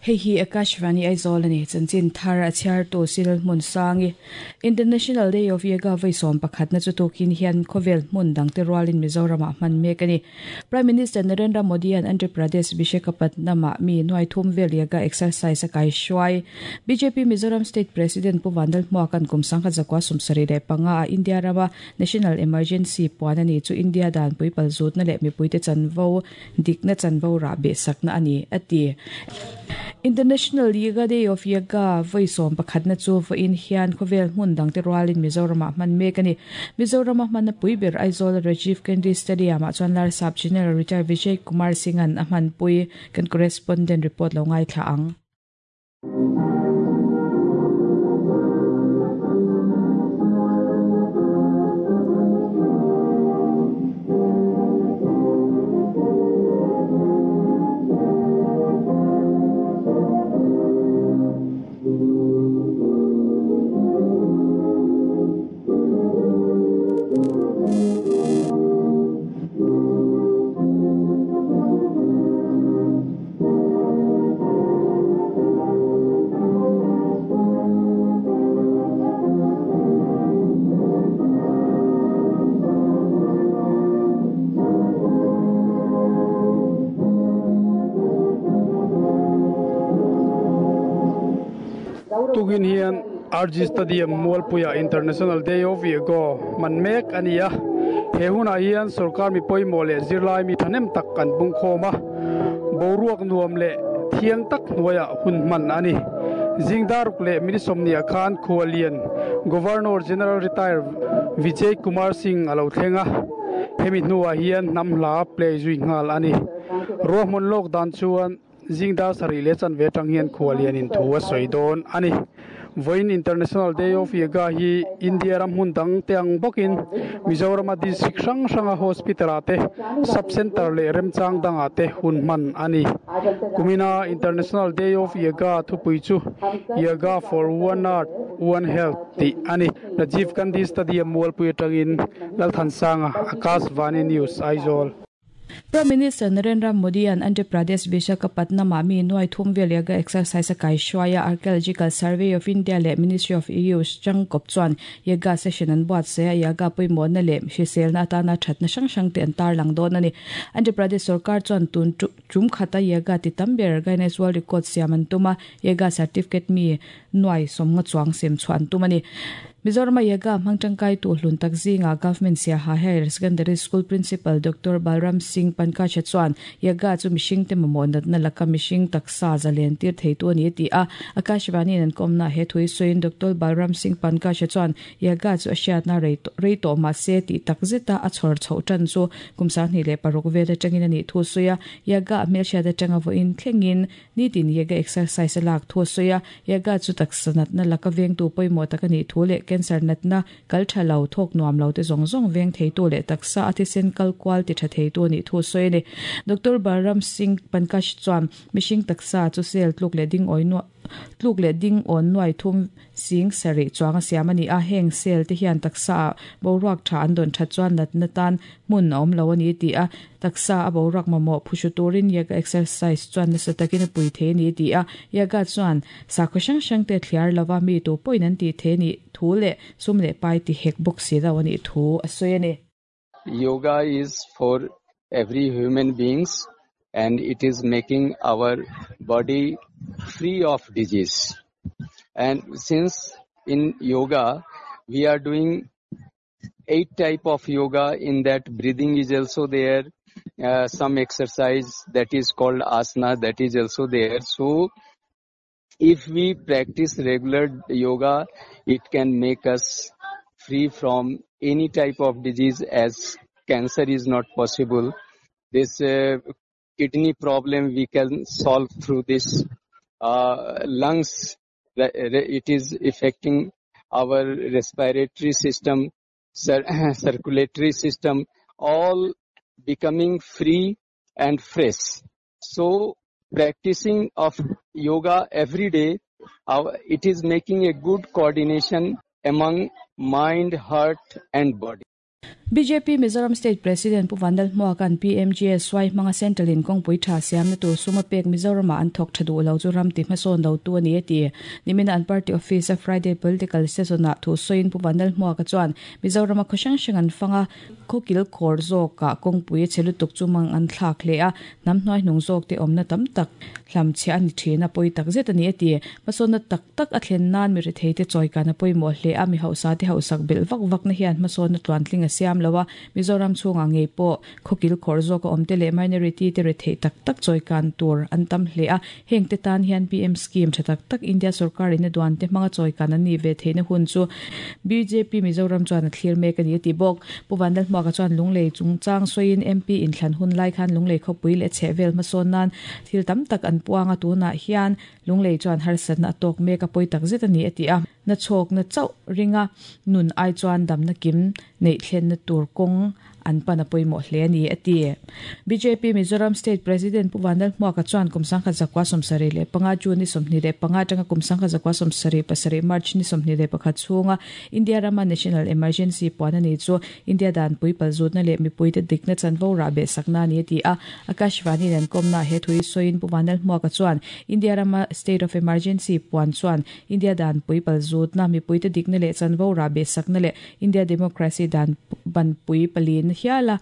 Hei hi Akashvani Aizawl a ni. Chanchin thar a chhiartu Cyril Hmunsangi. International Day of Yoga vawi 11 na chu tukin hian khawvel hmun dangte rualin Mizoramah hman mek a ni. Prime Minister Narendra Modi-a'n Andhra Pradesh Visakhapatnam-ah mi nuai thum vel yoga exercise a kaihruai. Bjp Mizoram State President Pu Vandal Hmuaka'n kum 1975 a India rama National Emergency puan a ni chu India danpui palzutna leh mipuite chanvo dikna chanvo rah behsakna a ni, a ti. International Yoga Day of Yoga vawi 11 na chu vawiin hian khawvel hmun dangte rualin Mizoramah hman mek a ni. Mizorama hmanna pui ber Aizawl Rajiv Gandhi Stadium-ah chuan Larsap General Retired Vijay Kumar Singh-a'n a hmanpui. Kan correspondent report lo ngaithla ang. Tukin hian RG Stadium Mualpuia International Day of Yoga hman mek a ni a. He hunah hian sorkar mi pawimawh leh zirlai mi thahnem tak an bungkhawm a. Boruak nuam leh thiang tak hnuaiah hun hman a ni. Zing daruk leh minute sawmhnih ah khan Khualian Governor General Retire Vijay Kumar Singh a lo thleng a. Hemi hnuah hian hnam hla play zui nghal a ni. Ruahmun lawk dan chuan Zing dar sarih leh chanve atang hian khuallian in thu a sawi dawn a ni. Vawiin International Day of Yoga hi India ram hmun dang te ang bawkin Mizorama district hrang hranga hospital ah te, sub centre leh remchang dangah te hun hman a ni. Kumina International Day of Yoga thupui chu Yoga for One Earth, One Health tih a ni. Rajiv Gandhi Stadium Mualpui atangin Lalthansanga, Akashvani News, Aizawl. Prime Minister Narendra Modi-a'n Andhra Pradesh Visakhapatnam-ah mi nuai thum vel yoga exercise a kaihruai a, Archaeological Survey of India leh Ministry of Youth changkawp chuan yoga session an buatsaih a, yoga pawimawhna leh hriselna atana thatna hrang hrang te an tarlang dawn a ni. Andhra Pradesh sorkar chuan tun tum khata yoga ti tam ber Guinness World Record siam an tum a, yoga certificate mi nuai sawmnga chuang sem chhuah an tum a ni. Mizorama yoga hmang tangkai tu hlun tak zingah Government Siaha Higher Secondary School Principal Doctor Balram Singh Pankaj chuan yoga chu mihring te mamawh natna laka mihring taksa zalen tir thei tu a ni a ti a. Akashvani in an kawmna he thu hi sawiin Doctor Balram Singh Pankaj chuan yoga chu a hriatna rei rei tawh mah se tih tak zeta a chhawr chhoh tan chu kum 26 vel atangin a nih thu a sawi a. Yoga a hmelhriat atanga vawiin thlengin Nitin yoga exercise a lak thu a sawi a, yoga chu taksa natna laka vengtu pawimawh tak a nih thu leh cancer natna kal tha lo, thawk nuam lo te zawng zawng veng theitu leh taksa a thisen kal kual ti tha theitu a nih thu a sawi a ni. Doctor Balram Singh Pankaj chuan mihring taksa chu cell tluk leh ding awi nuah tluk leh ding awn nuai thum Sing sarih chuang a siam a ni a, heng cell te hian taksa ah boruak tha an dawn that chuan natna tan hmun a awm lo a ni tih a, taksa a boruak mamawh phuhru turin yoga exercise chuan nasa takin a pui thei a ni tih a, yoga chuan sakhaw hrang hrang te thliar lova mi tu pawhin an tih thei a nih thu leh sum leh pai ti hek bawk si lo a nih thu a sawi a ni. Yoga is for every human beings and it is making our body free of disease. And since in yoga we are doing 8 type of yoga, in that breathing is also there, some exercise that is called asana, that is also there. So if we practice regular yoga, it can make us free from any type of disease, as cancer is not possible. This kidney problem we can solve through this. Lungs, it is affecting our respiratory system, circulatory system, all becoming free and fresh. So practicing of yoga every day, it is making a good coordination among mind, heart and body. Bjp Mizoram State President Pu Vanlalhmuaka'n PMGSY hmanga Central in kawngpui tha siamna tur sum a pek Mizoramah an thawk tha duh lo chu ram ti hmasawn lo tu a ni a ti. Nimina an party office a Friday Political Session ah thu sawiin Pu Vanlalhmuaka chuan Mizorama khaw hrang hrang an fang a, khaw kil khawr zawkah kawngpui a chhe lutuk chu mang an thlak hle a, hnam hnuaihnung zawkte awmna tam tak hlamchhiah a ni thin a, pawi tak zet a ni a ti. Hmasawnna tak tak a thlen nan mi retheite chawikan a pawimawh hle a, mi hauhsate hauhsak belh vak vakna hian hmasawnna tluantling a siam lo a, Mizoram chhungah ngei pawh khawkil khawr zawka awmte leh minority te retheih tak tak chawikan tur an tam hle a, hengte tan hian PM scheme tha tak tak India sorkar in a duan te hmanga chawikan an nih ve theihna hun chu bjp Mizoram chuan a thlir mek a ni a ti bawk. Pu Vanlalhmuaka chuan Lunglei chungchang sawiin MP inthlan hun lai khan Lunglei khawpui leh chhehvel hmasawn nan thil tam tak an puang a, tunah hian Lunglei chuan harsatna a tawk mek a pawi tak zet a ni a ti a, na chhawkna chauh ringa nun ai chuan damna kim neih thlenna tur kawng an pan a pawimawh hle a ni a ti. Bjp Mizoram State President Pu Vanlalhmuaka chuan kum 1975 June ni 25 atanga kum 1977 March ni 21 chhunga India rama National Emergency puan a ni chu India danpui palzutna leh mipuite dikna chanvo rah behsakna a ni a ti a, Akashvani nen kawmna he thui sawiin Pu Vanlalhmuaka chuan India rama State of Emergency puan chuan India danpui palzutna, mipuite dikna leh chanvo rah behsakna leh India Democracy dan banpui palina hiala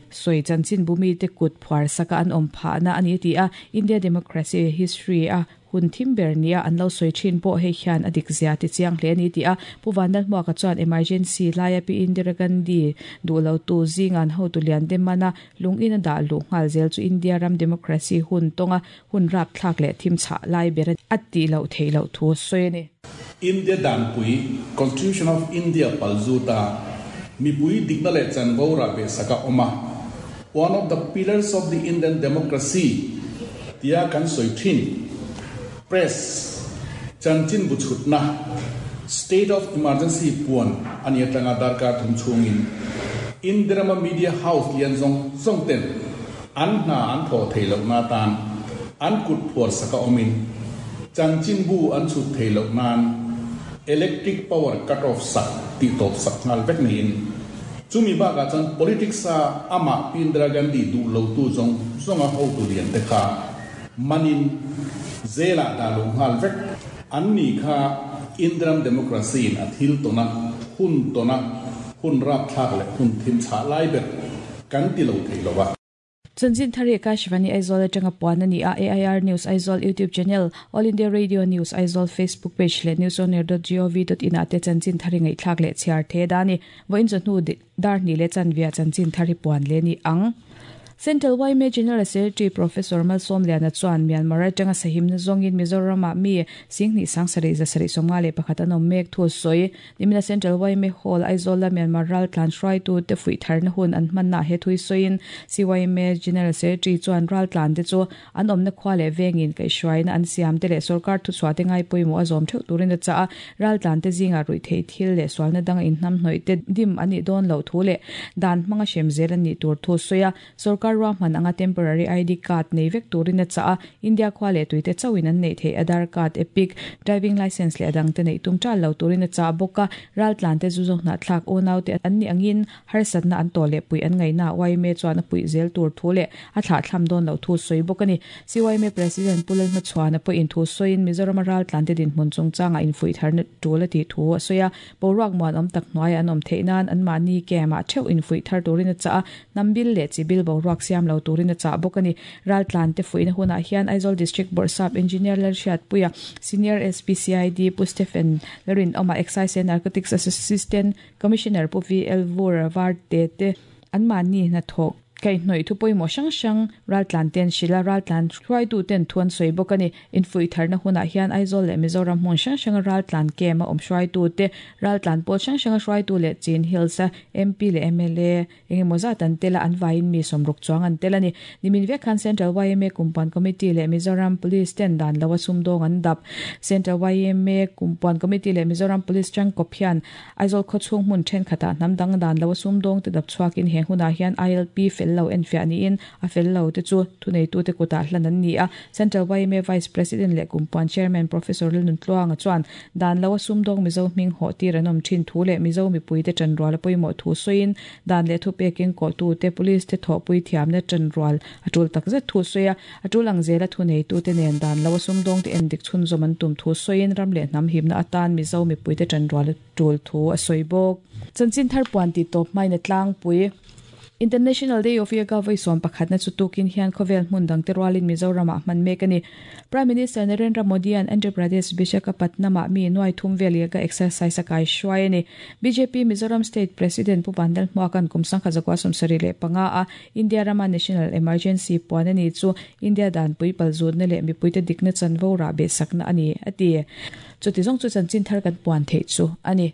sawi chanchin bumite kut phuar saka an awm phahna a ni a ti a, India Democracy history a hun thim ber nia an lo sawi thin pawh hei hian a dik zia ti chiang hle a ni ti a, Pu Vanlalhmuaka chuan emergency laia Pi Indira Gandhi duh lo tu zingan hotu lian te mana lung in a dah luh nghal zel chu India ram democracy hun tawnga hun rapthlak leh thim chhah lai ber a tih loh theih loh thu a sawi a ni. India danpui, Constitution of India palzuta mipui dikna leh chanvo rah ve sak a awm a, One of the pillars of the Indian democracy tia kan sawi thin. Press, chanchin bu chhutna, State of Emergency puan a ni atanga darkar thum chhungin Indirama Media House lian zawng zawng ten an hna an thawh theih lohna atan an kut phuar saka awmin chanchin bu an chhut theih loh nan electric power cut off sak tih tawp sak nghal vek niin Chumi bakah chuan politics-a amah Pi Indira Gandhi duh lotu zawng zawnga hotu lian te kha manin jail-ah dah lo nghal vek. An ni kha Indiram democracy-in a thil tawna, hun tawna, hun rapthlak leh hun thim chhah lai ber kan ti lo thei lo a. Chanchin thar hi Akashvani Aizawl atanga puan a ni a, AIR News Aizawl YouTube channel, All India Radio News Aizawl Facebook page leh newsonair.gov.in ah te chanchin thar hi ngaihthlak leh chhiar the da a ni. Vawiin chawhnu dar hnih leh chanvia chanchin thar hi puan leh a ni ang. Central yma General Secretary Professor Malsawmliana chuan Myanmar atanga sahimna zawngin Mizoram-ah mi Singhnih Sangsarih Zasarih 51 an awm mek thu a sawi. Nimina Central yma Hall, Aizawl-a Myanmar raltlan hruaitute fuih tharna hun an hmannaah he thui sawiin CYMA General Secretary chuan raltlante chu an awmna khua leh vengin kaihhruaina an siamte leh sorkar thuchhuahte ngai pawimawh a zawm theuh turin a chah a, raltlante zingah ruihtheih thil leh sualna danga inhnamhnawihte dim an nih dawn loh thu leh dan hmanga hrem zel an nih tur thu sawi a. Sorkar ruahman anga temporary ID card nei vek turin a chah a, India khua leh tuite chauhin an neih theih Aadhaar card, EPIC, driving licence leh a dangte neih tum ṭal lo turin a chah bawk a, raltlante zu zawk hnahthlak unaute an nih angin harsatna an tawh leh puih an ngaihnaah yma chuan a puih zel tur thu leh a thlahthlam dawn loh thu sawi bawk a ni. CYMA President Pu Lalhmachhuana pawhin thu sawiin Mizorama raltlante dinhmun chungchangah infuih tharna tul a tih thu a sawi a, boruak muanawm tak hnuaiah an awm theih nan anmahni camp-ah theuh infuih thar turin a chah a, Hnam bil leh chi bil boruak siam lo turin a chah bawk a ni. Raltlante fuihna hunah hian Aizawl District Bawrhsap Engineer Lalhriatpuia, Senior SP CID Pu Stephen Lalrinawma, Excise and Narcotics Assistant Commissioner Pu VL Vur Varte te anmahni hnathawk kaihhnawih thu pawimawh hrang hrang raltlante'n hrilh a, raltlan hruaituten thu an sawi bawk a ni. Infuih tharna hunah hian Aizawl leh Mizoram hmun hrang hranga raltlan camp a awm hruaitute, raltlan pawl hrang hranga hruaitu leh Chin Hills-a MP leh mla, Eng emaw zat an tel a, an vaiin mi sawmruk chuang an tel a ni. Nimin vek khan Central yma Kumpuan Committee leh Mizoram Police ten dan lo a sumdawng an dap. Central yma Kumpuan Committee leh Mizoram Police tangkawp hian Aizawl khawchhung hmun thenkhatah hnam dang dan lo a sumdawng te dap chhuakin he hunah hian ILP fel fel lo enfiah niin a fel lo te chu thuneitute kutah hlan an ni a. Central yma Vice President leh Kumpuan Chairman Professor Lalnuntluanga chuan dan lo a sumdawng Mizo hming hawh tir an awm thin thu leh Mizo mipuite tanrual a pawimawh thu sawiin dan leh thupekin kawhtute Police te thawhpui thiamna tanrual a tul takzet thu sawi a. A tul ang zela thuneitute nen dan lo a sumdawngte endik chhunzawm an tum thu sawiin ram leh hnam himna atan Mizo mipuite tanrual a tul thu a sawi bawk. Chanchin thar puan tih tawp hmain a tlangpui. International Day of Yoga vawi 11na chu tukin hian khawvel hmun dangte rualin Mizoramah hman mek a ni. Prime Minister Narendra Modi-a'n Andhra Pradesh Visakhapatnam-ah mi nuai thum vel yoga exercise a kaihruai a ni. Bjp Mizoram State President Pu Vandal Hmuaka'n kum 1975 a India rama National Emergency puan a ni chu India danpui palzutna leh mipuite dikna chanvo rah behsakna a ni, a ti. Chuti zawng chu chanchin thar kan puan theih chu a ni.